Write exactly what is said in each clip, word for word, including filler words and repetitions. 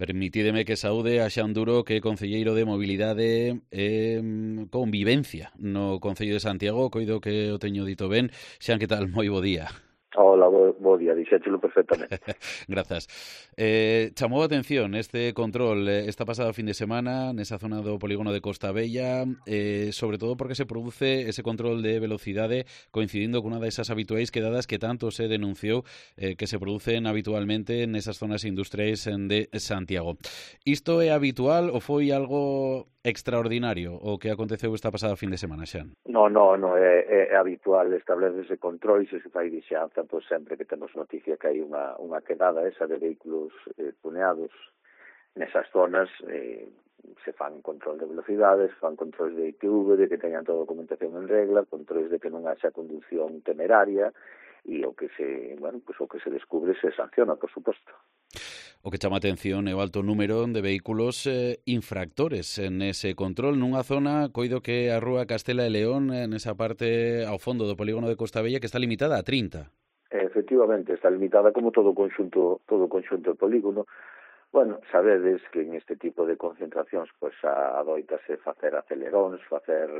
Permitídeme que saúde a Xan Duro, que é concelleiro de Mobilidade e Convivencia no Concello de Santiago. Coido que o teño dito ben. Xan, que tal? Moi bo día. Hola, bo, bo día, dixéchelo perfectamente. Grazas. Eh, chamou a atención este control eh, esta pasada fin de semana nesa zona do polígono de Costa Bella, eh, sobre todo porque se produce ese control de velocidade coincidindo con unha desas habituais quedadas que tanto se denunciou eh, que se producen habitualmente nesas zonas industriais de Santiago. Isto é habitual ou foi algo extraordinario o que aconteceu esta pasada fin de semana, Xan? No, no, no, é, é, é habitual establecerse control e se fai vixanza, pois sempre que temos noticia que hai unha, unha quedada esa de vehículos eh, tuneados nesas zonas, eh, se fan control de velocidades, fan controles de I T V, de que teñan toda a documentación en regla, controles de que non haxa conducción temeraria, e o que se, bueno, pues o que se descubre se sanciona, por suposto. O que chama a atención é o alto número de vehículos eh, infractores en ese control nunha zona, coido que a rúa Castela e León, nesa parte ao fondo do polígono de Costa Bella, que está limitada a trinta. Efectivamente, está limitada como todo o conxunto, todo o conxunto do polígono. Bueno, sabedes que en este tipo de concentracións pois adoitase facer aceleróns, facer,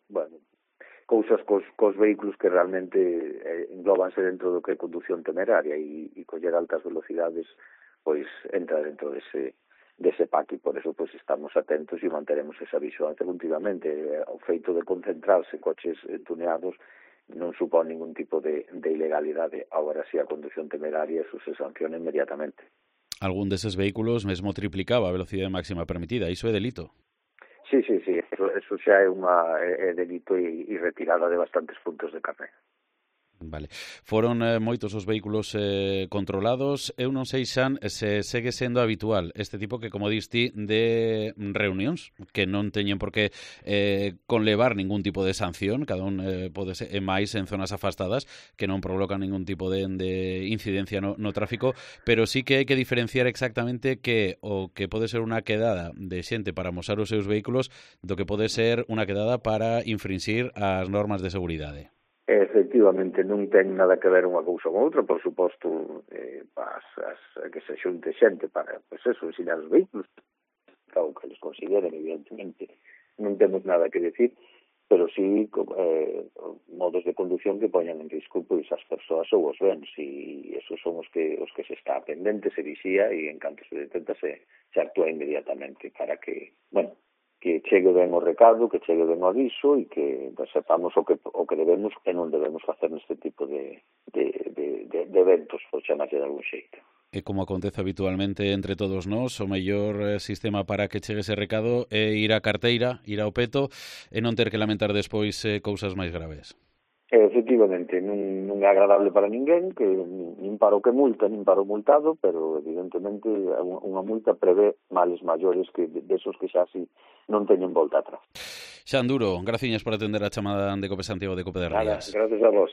bueno, cousas cos, cos vehículos que realmente eh, englobanse dentro do que é conducción temeraria e, e coller altas velocidades pois entra dentro dese, dese pack e por eso pois estamos atentos e manteremos esa vigilancia continuamente. O feito de concentrarse coches tuneados non supón ningún tipo de, de ilegalidade. Agora si a conducción temeraria eso se sanciona inmediatamente. Algún deses vehículos mesmo triplicaba a velocidade máxima permitida, iso é delito. Sí, sí, sí, eso, eso xa é unha é, é delito e, e retirada de bastantes puntos de carné. Vale. Foron eh, moitos os vehículos eh, controlados. Eu non sei, Xan, se segue sendo habitual este tipo que, como diste, de reunións que non teñen por que eh, conlevar ningún tipo de sanción, cada un eh, pode ser e máis en zonas afastadas que non provocan ningún tipo de, de incidencia no, no tráfico, pero sí que hai que diferenciar exactamente que o que pode ser unha quedada de xente para amosar os seus vehículos do que pode ser unha quedada para infringir as normas de seguridade. Efectivamente, non ten nada que ver unha cousa con outra, por suposto, eh, as, as, que se xunte xente para, pois eso, ensinar os vehículos, o que les consideren, evidentemente, non temos nada que decir, pero sí eh, modos de conducción que poñan en risco pois as persoas ou os bens, e esos son os que os que se está pendente, se vixía, e en canto se detenta se, se actúa inmediatamente para que, bueno, que chegue ben o recado, que chegue ben o aviso e que sepamos o que o que debemos e non debemos facer neste tipo de, de, de, de, de eventos, por chamarlle de algún xeito. E como acontece habitualmente entre todos nós, o mellor sistema para que chegue ese recado é ir á carteira, ir ao peto e non ter que lamentar despois eh, cousas máis graves. Efectivamente, non, non é agradable para ninguén, que nin para o que multa, nin para o multado, pero evidentemente unha multa prevé males maiores que desos que xa así non teñen volta atrás. Xan Duro, graciñas por atender a chamada de Cope Santiago de Cope de Rías. Nada, gracias a vos.